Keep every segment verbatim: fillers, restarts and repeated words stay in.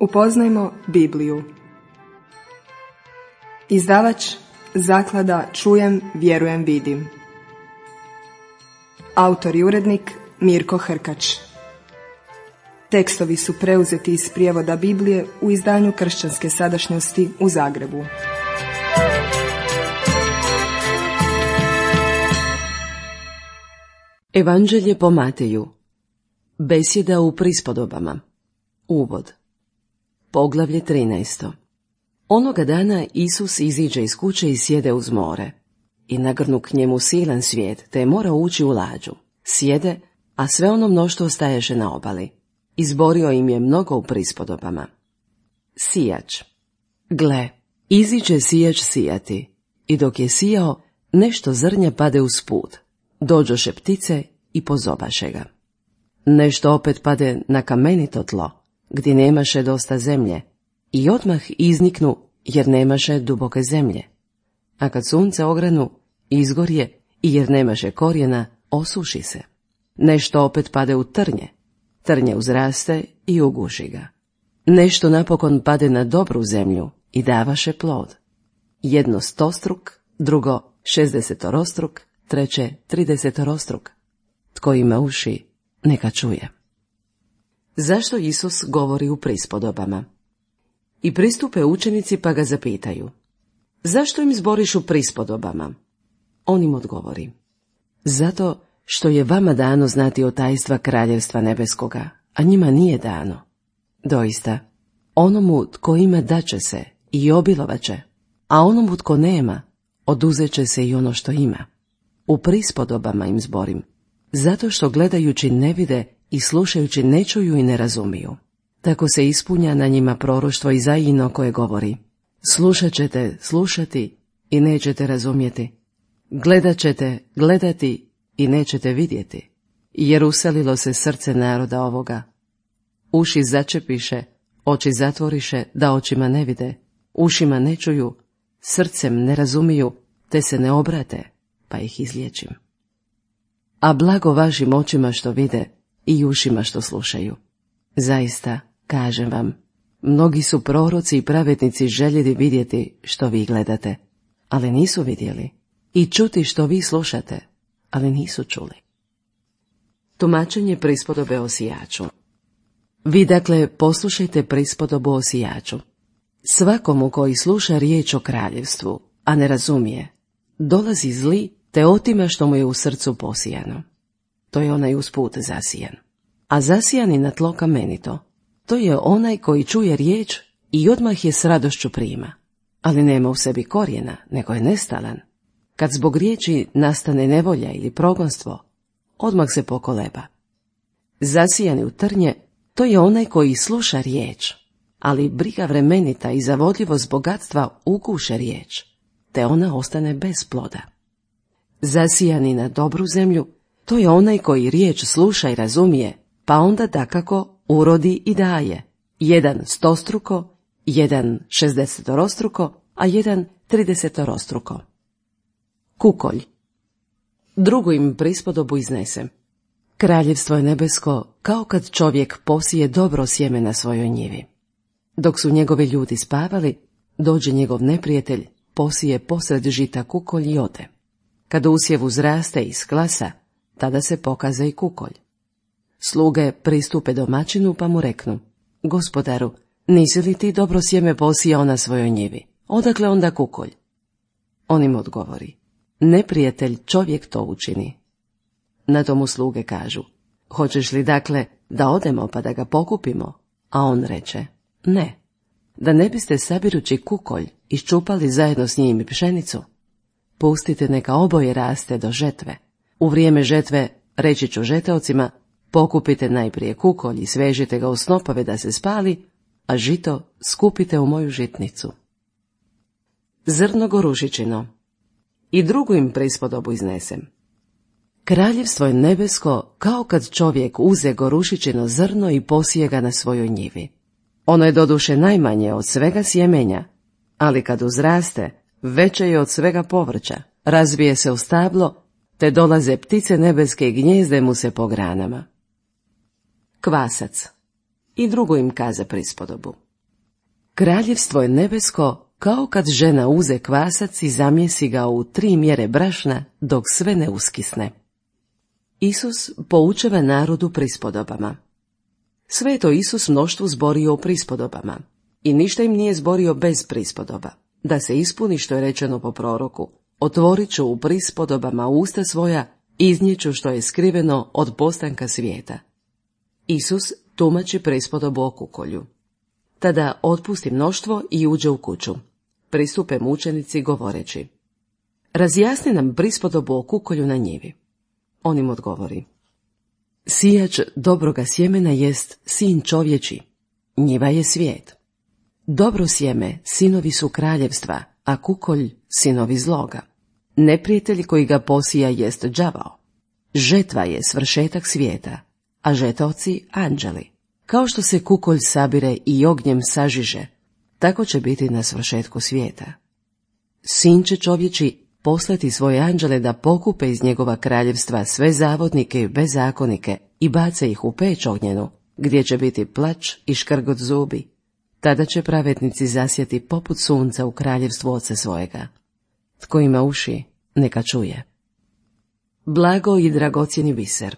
Upoznajmo Bibliju. Izdavač Zaklada Čujem, vjerujem, vidim. Autor i urednik Mirko Hrkač. Tekstovi su preuzeti iz prijevoda Biblije u izdanju Kršćanske sadašnjosti u Zagrebu. Evanđelje po Mateju. Besjeda u prispodobama. Uvod. Poglavlje trinaesto. Onoga dana Isus iziđe iz kuće i sjede uz more. I nagrnu k njemu silan svijet, te je morao ući u lađu. Sjede, a sve ono mnoštvo ostaješe na obali. Izborio im je mnogo u prispodobama. Sijač. Gle, iziđe sijač sijati, i dok je sijao, nešto zrnja pade uz put. Dođoše ptice i pozobaše ga. Nešto opet pade na kamenito tlo, gdje nemaše dosta zemlje, i odmah izniknu, jer nemaše duboke zemlje. A kad sunce ogranu, izgorje, i jer nemaše korijena, osuši se. Nešto opet pade u trnje, trnje uzraste i uguši ga. Nešto napokon pade na dobru zemlju i davaše plod. Jedno stostruk, drugo šezdesetorostruk, treće tridesetorostruk. Tko ima uši, neka čuje. Zašto Isus govori u prispodobama? I pristupe učenici pa ga zapitaju: zašto im zboriš u prispodobama? On im odgovori: zato što je vama dano znati o tajstva kraljevstva nebeskoga, a njima nije dano. Doista, onomu tko ima daće se i obilovaće, a onomu tko nema, oduzet će se i ono što ima. U prispodobama im zborim, zato što gledajući ne vide i slušajući ne čuju i ne razumiju. Tako se ispunja na njima proroštvo Izajino koje govori: slušat ćete slušati i nećete razumjeti. Gledat ćete gledati i nećete vidjeti. Jer uselilo se srce naroda ovoga. Uši začepiše, oči zatvoriše, da očima ne vide, ušima ne čuju, srcem ne razumiju, te se ne obrate, pa ih izliječim. A blago vašim očima što vide i ušima što slušaju. Zaista, kažem vam, mnogi su proroci i pravednici željeli vidjeti što vi gledate, ali nisu vidjeli, i čuti što vi slušate, ali nisu čuli. Tumačenje prispodobe o sijaču. Vi dakle poslušajte prispodobu o sijaču. Svakomu koji sluša riječ o kraljevstvu, a ne razumije, dolazi zli te otima što mu je u srcu posijano. To je onaj usput zasijan. A zasijani na tlo kamenito, to je onaj koji čuje riječ i odmah je s radošću prima, ali nema u sebi korijena, nego je nestalan. Kad zbog riječi nastane nevolja ili progonstvo, odmah se pokoleba. Zasijani u trnje, to je onaj koji sluša riječ, ali briga vremenita i zavodljivost bogatstva uguše riječ, te ona ostane bez ploda. Zasijani na dobru zemlju, to je onaj koji riječ sluša i razumije, pa onda dakako urodi i daje, jedan stostruko, jedan šezdesetorostruko, a jedan tridesetorostruko. Kukolj. Drugu im prispodobu iznesem. Kraljevstvo je nebesko kao kad čovjek posije dobro sjeme na svojoj njivi. Dok su njegovi ljudi spavali, dođe njegov neprijatelj, posije posred žita kukolj i ode. Kad usjev uzraste i sklasa, tada se pokaza i kukolj. Sluge pristupe domaćinu pa mu reknu: gospodaru, nisi li ti dobro sjeme posijao na svojoj njivi? Odakle onda kukolj? On im odgovori: neprijatelj čovjek to učini. Na tomu sluge kažu: hoćeš li dakle da odemo pa da ga pokupimo? A on reče: ne, da ne biste sabirući kukolj iščupali zajedno s njim i pšenicu. Pustite neka oboje raste do žetve. U vrijeme žetve reći ću žeteocima: pokupite najprije kukolj i svežite ga u snopove da se spali, a žito skupite u moju žitnicu. Zrno gorušičino. I drugu im prispodobu iznesem. Kraljevstvo je nebesko kao kad čovjek uze gorušičino zrno i posije ga na svojoj njivi. Ono je doduše najmanje od svega sjemenja, ali kad uzraste, veće je od svega povrća, razbije se u stablo, te dolaze ptice nebeske i gnjezde mu se po granama. Kvasac. I drugu im kaza prispodobu. Kraljevstvo je nebesko kao kad žena uze kvasac i zamjesi ga u tri mjere brašna dok sve ne uskisne. Isus poučava narodu prispodobama. Sve je to Isus mnoštvu zborio u prispodobama i ništa im nije zborio bez prispodoba. Da se ispuni što je rečeno po proroku, otvorit ću u prispodobama usta svoja, iznijeću što je skriveno od postanka svijeta. Isus tumači prispodobu o kukolju. Tada otpusti mnoštvo i uđe u kuću. Pristupe mu učenici govoreći: razjasni nam prispodobu o kukolju na njivi. On im odgovori: sijač dobroga sjemena jest sin čovječi, njiva je svijet. Dobro sjeme sinovi su kraljevstva, a kukolj sinovi zloga. Neprijatelj koji ga posija jest đavao. Žetva je svršetak svijeta, a žetovci anđeli. Kao što se kukolj sabire i ognjem sažiže, tako će biti na svršetku svijeta. Sin će čovječi poslati svoje anđele da pokupe iz njegova kraljevstva sve zavodnike i bezakonike i bace ih u peć ognjenu, gdje će biti plač i škrgot zubi. Tada će pravednici zasjati poput sunca u kraljevstvu Oca svojega. Tko ima uši, neka čuje. Blago i dragocjeni biser.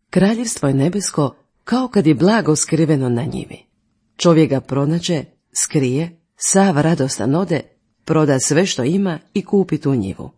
Kraljevstvo je nebesko kao kad je blago skriveno na njivi. Čovjek ga pronađe, skrije, sav radostan ode, proda sve što ima i kupi tu njivu.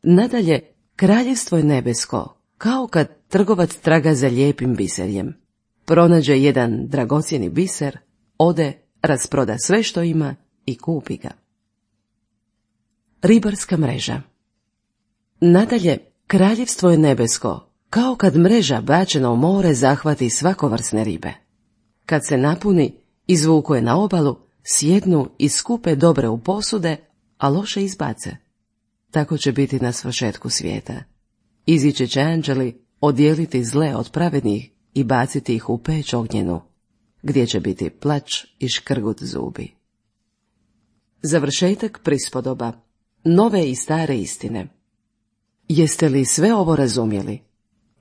Nadalje, kraljevstvo je nebesko kao kad trgovac traga za lijepim biserjem. Pronađe jedan dragocjeni biser, ode, rasproda sve što ima i kupi ga. Ribarska mreža. Nadalje, kraljevstvo je nebesko kao kad mreža bačena u more zahvati svakovrsne ribe. Kad se napuni, izvuku je na obalu, sjednu i skupe dobre u posude, a loše izbace. Tako će biti na svršetku svijeta. Izići će anđeli odijeliti zle od pravednih i baciti ih u peć ognjenu, gdje će biti plač i škrgut zubi. Završetak prispodoba. Nove i stare istine. Jeste li sve ovo razumjeli?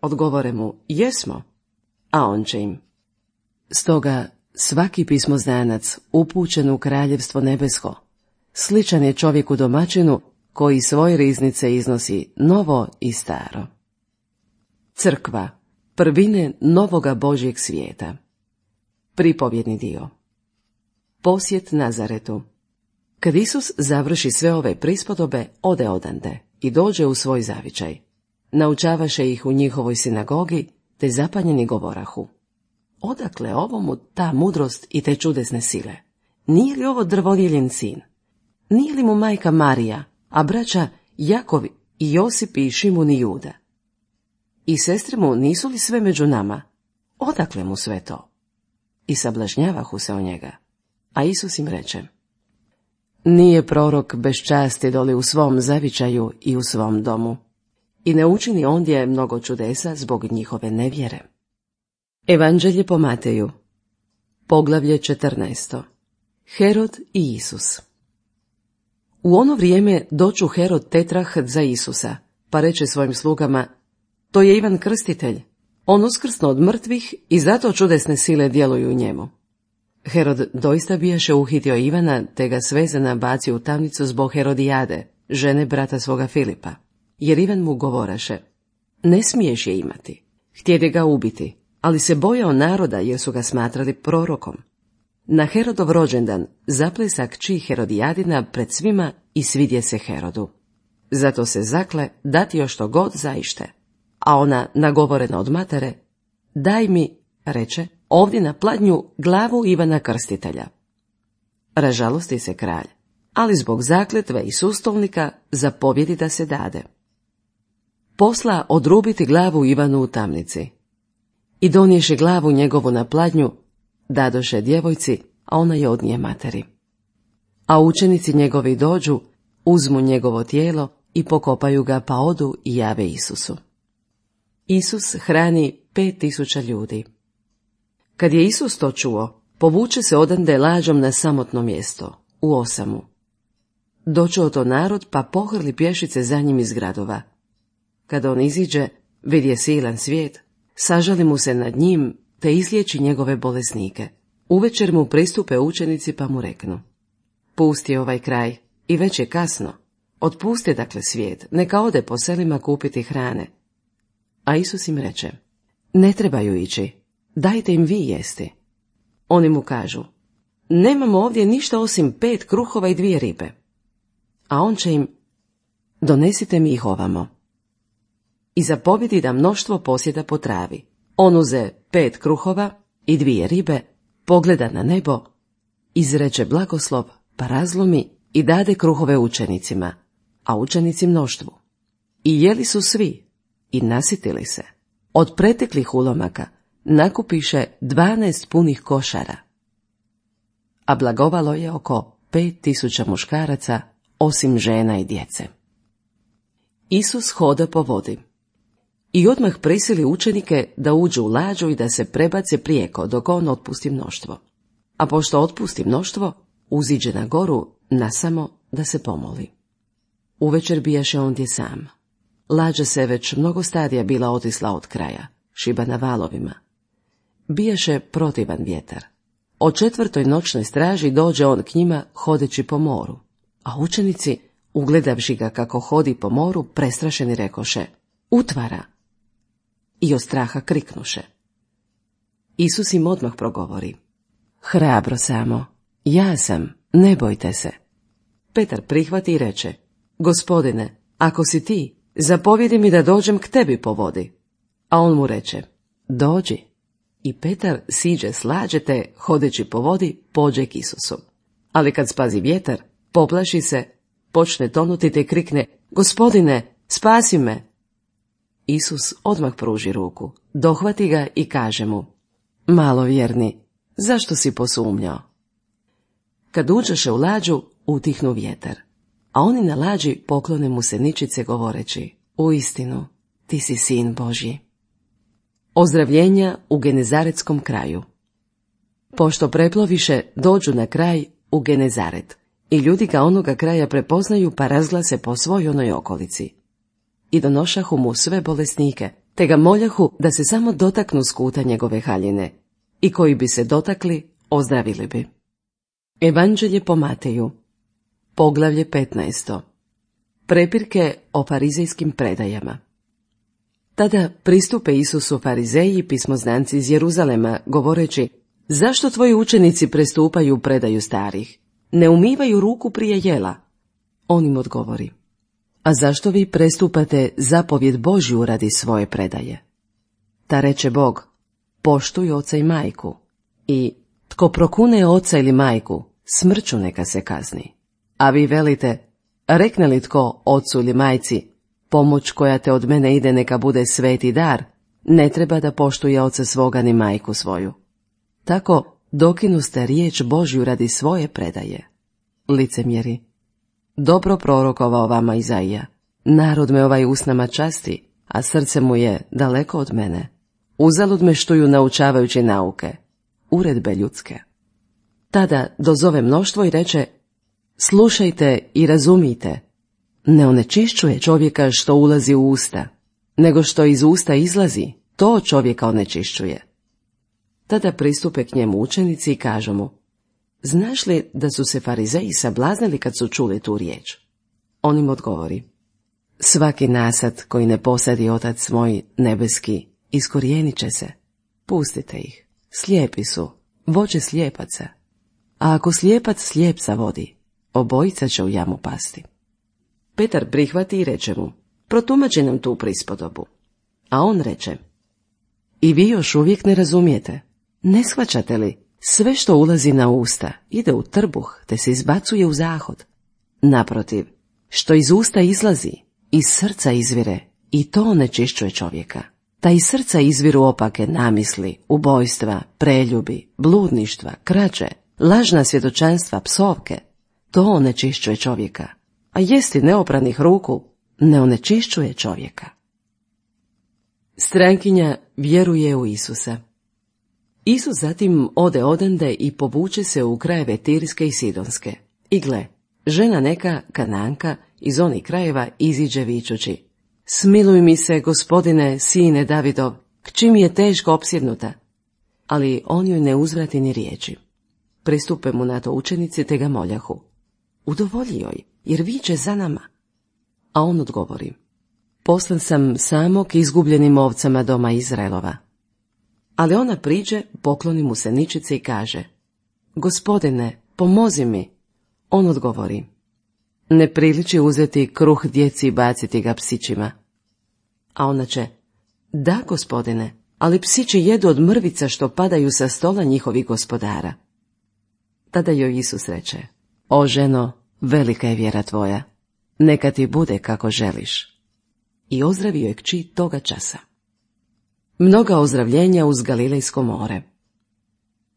Odgovore mu: jesmo. A on će im: stoga svaki pismoznanac upućen u kraljevstvo nebesko sličan je čovjeku domaćinu koji svoje riznice iznosi novo i staro. Crkva, prvine novoga Božjeg svijeta. Pripovjedni dio. Posjet Nazaretu. Kad Isus završi sve ove prispodobe, ode odande i dođe u svoj zavičaj. Naučavaše ih u njihovoj sinagogi, te zapanjeni govorahu: odakle ovomu ta mudrost i te čudesne sile? Nije li ovo drvodjeljen sin? Nije li mu majka Marija, a braća Jakov i Josip i Šimun i Juda? I sestre mu nisu li sve među nama? Odakle mu sve to? I sablažnjavahu se o njega. A Isus im reče: nije prorok bez časti doli u svom zavičaju i u svom domu. I ne učini ondje mnogo čudesa zbog njihove nevjere. Evanđelje po Mateju. Poglavlje četrnaesto. Herod i Isus. U ono vrijeme doću Herod tetrah za Isusa, pa reče svojim slugama: to je Ivan Krstitelj, on uskrsno od mrtvih i zato čudesne sile djeluju u njemu. Herod doista bijaše uhitio Ivana, te ga svezana bacio u tamnicu zbog Herodijade, žene brata svoga Filipa, jer Ivan mu govoraše: ne smiješ je imati. Htjede ga ubiti, ali se bojao naroda jer su ga smatrali prorokom. Na Herodov rođendan zaplesa kći Herodijadina pred svima i svidje se Herodu. Zato se zakle dati još što god zaište. A ona, nagovorena od matere: daj mi, reče, ovdje na pladnju glavu Ivana Krstitelja. Ražalosti se kralj, ali zbog zakletve i sustolnika zapovjedi da se dade. Posla odrubiti glavu Ivanu u tamnici. I donješe glavu njegovu na pladnju, dadoše djevojci, a ona je odnije materi. A učenici njegovi dođu, uzmu njegovo tijelo i pokopaju ga, pa odu i jave Isusu. Isus hrani pet tisuća ljudi. Kad je Isus to čuo, povuče se odande lađom na samotno mjesto, u osamu. Dočuo to narod, pa pohrli pješice za njim iz gradova. Kada on iziđe, vidje silan svijet, sažali mu se nad njim, te izliječi njegove bolesnike. Uvečer mu pristupe učenici pa mu reknu: pusti ovaj kraj, i već je kasno. Otpusti dakle svijet, neka ode po selima kupiti hrane. A Isus im reče: ne trebaju ići, dajte im vi jesti. Oni mu kažu: nemamo ovdje ništa osim pet kruhova i dvije ribe. A on će im: donesite mi ih ovamo. I zapovjedi da mnoštvo posjeda po travi. On uze pet kruhova i dvije ribe, pogleda na nebo, izreče blagoslov, pa razlomi i dade kruhove učenicima, a učenici mnoštvu. I jeli su svi i nasitili se. Od preteklih ulomaka nakupiše dvanaest punih košara. A blagovalo je oko pet tisuća muškaraca, osim žena i djece. Isus hoda po vodi. I odmah prisili učenike da uđu u lađu i da se prebace prijeko dok on otpusti mnoštvo. A pošto otpusti mnoštvo, uziđe na goru nasamo da se pomoli. Uvečer bijaše ondje sam. Lađa se već mnogo stadija bila otisla od kraja, šiba na valovima. Bijaše protivan vjetar. O četvrtoj noćnoj straži dođe on k njima hodeći po moru, a učenici, ugledavši ga kako hodi po moru, prestrašeni rekoše: utvara! I od straha kriknuše. Isus im odmah progovori: hrabro samo, ja sam, ne bojte se. Petar prihvati i reče: Gospodine, ako si ti, zapovjedi mi da dođem k tebi po vodi. A on mu reče: dođi. I Petar siđe s lađe te, hodeći po vodi, pođe k Isusu. Ali kad spazi vjetar, poplaši se, počne tonuti te krikne: Gospodine, spasi me! Isus odmah pruži ruku, dohvati ga i kaže mu: malovjerni, zašto si posumnjao? Kad uđeše u lađu, utihnu vjetar, a oni na lađi poklone mu se ničice govoreći: uistinu, ti si sin Božji. Ozdravljenja u Genezaretskom kraju. Pošto preploviše, dođu na kraj u Genezaret, i ljudi ga onoga kraja prepoznaju pa razglase po svoj onoj okolici. I donošahu mu sve bolesnike, te ga moljahu da se samo dotaknu skuta njegove haljine, i koji bi se dotakli, ozdravili bi. Evanđelje po Mateju, poglavlje petnaesto. Prepirke o farizejskim predajama. Tada pristupe Isusu farizeji i pismoznanci iz Jeruzalema, govoreći: zašto tvoji učenici prestupaju predaju starih? Ne umivaju ruku prije jela. On im odgovori: a zašto vi prestupate zapovjed Božju radi svoje predaje? Ta reče Bog: poštuj oca i majku, i tko prokune oca ili majku, smrću neka se kazni. A vi velite: rekne li tko ocu ili majci: pomoć koja te od mene ide neka bude sveti dar, ne treba da poštuje oca svoga ni majku svoju. Tako dokinuste riječ Božju radi svoje predaje. Licemjeri, dobro prorokovao vama Izaija: narod me ovaj usnama časti, a srce mu je daleko od mene. Uzalud me štuju naučavajući nauke, uredbe ljudske. Tada dozove mnoštvo i reče: slušajte i razumijte, ne onečišćuje čovjeka što ulazi u usta, nego što iz usta izlazi, to čovjeka onečišćuje. Tada pristupe k njemu učenici i kažu mu: znaš li da su se farizeji sablaznili kad su čuli tu riječ? On im odgovori: svaki nasad koji ne posadi Otac moj nebeski, iskorijenit će se. Pustite ih, slijepi su, voće slijepaca. A ako slijepac slijepca vodi, obojica će u jamu pasti. Petar prihvati i reče mu: protumači nam tu prispodobu. A on reče: i vi još uvijek ne razumijete? Ne shvaćate li? Sve što ulazi na usta ide u trbuh te se izbacuje u zahod. Naprotiv, što iz usta izlazi, iz srca izvire, i to onečišćuje čovjeka. Ta iz srca izviru opake namisli, ubojstva, preljubi, bludništva, krađe, lažna svjedočanstva, psovke. To onečišćuje čovjeka. A jesti neopranih ruku ne onečišćuje čovjeka. Strankinja vjeruje u Isusa. Isus zatim ode odande i povuče se u krajeve Tirske i Sidonske. I gle, žena neka, Kananka, iz onih krajeva iziđe vičući: smiluj mi se, Gospodine, sine Davidov, kći mi je teško opsjednuta. ali on joj ne uzvrati ni riječi. Pristupe mu na to učenici te ga moljahu: udovolji joj, jer viče za nama. A on odgovori: poslan sam samog izgubljenim ovcama doma Izraelova. Ali ona priđe, pokloni mu se ničice i kaže: Gospodine, pomozi mi. On odgovori: ne priliči uzeti kruh djeci i baciti ga psićima. A ona će: da, gospodine, ali psići jedu od mrvica što padaju sa stola njihovih gospodara. Tada joj Isus reče: o ženo, velika je vjera tvoja, neka ti bude kako želiš. I ozdravio je kći toga časa. Mnoga ozdravljenja uz Galilejsko more.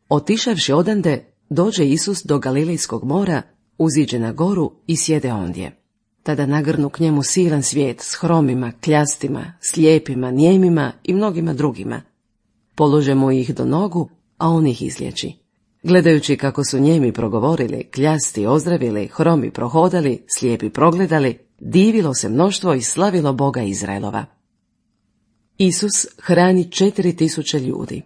Otišavši odande, dođe Isus do Galilejskog mora, uziđe na goru i sjede ondje. Tada nagrnu k njemu silan svijet s hromima, kljastima, slijepima, nijemima i mnogima drugima. Polože mu ih do nogu, a on ih izliječi. Gledajući kako su njemi progovorili, kljasti ozdravili, hromi prohodali, slijepi progledali, divilo se mnoštvo i slavilo Boga Izraelova. Isus hrani četiri tisuće ljudi.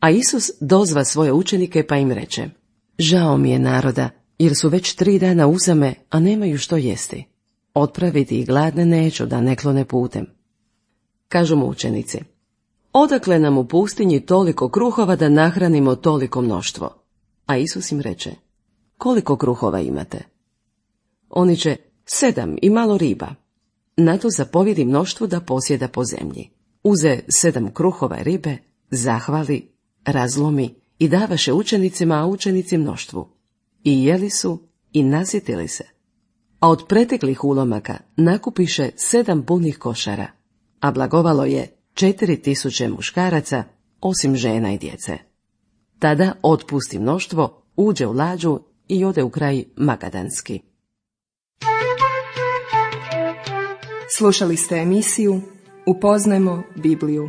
A Isus dozva svoje učenike pa im reče: žao mi je naroda, jer su već tri dana uzame, a nemaju što jesti. Otpraviti ih gladne neću, da ne klone putem. Kažu mu učenici: odakle nam u pustinji toliko kruhova da nahranimo toliko mnoštvo? A Isus im reče: koliko kruhova imate? Oni će: sedam i malo riba. Na to zapovjedi mnoštvu da posjeda po zemlji. Uze sedam kruhova i ribe, zahvali, razlomi i davaše učenicima, a učenici mnoštvu. I jeli su i nasjetili se. A od preteklih ulomaka nakupiše sedam punih košara, a blagovalo je četiri tisuće muškaraca, osim žena i djece. Tada otpusti mnoštvo, uđe u lađu i ode u kraj Magadanski. Slušali ste emisiju Upoznajmo Bibliju.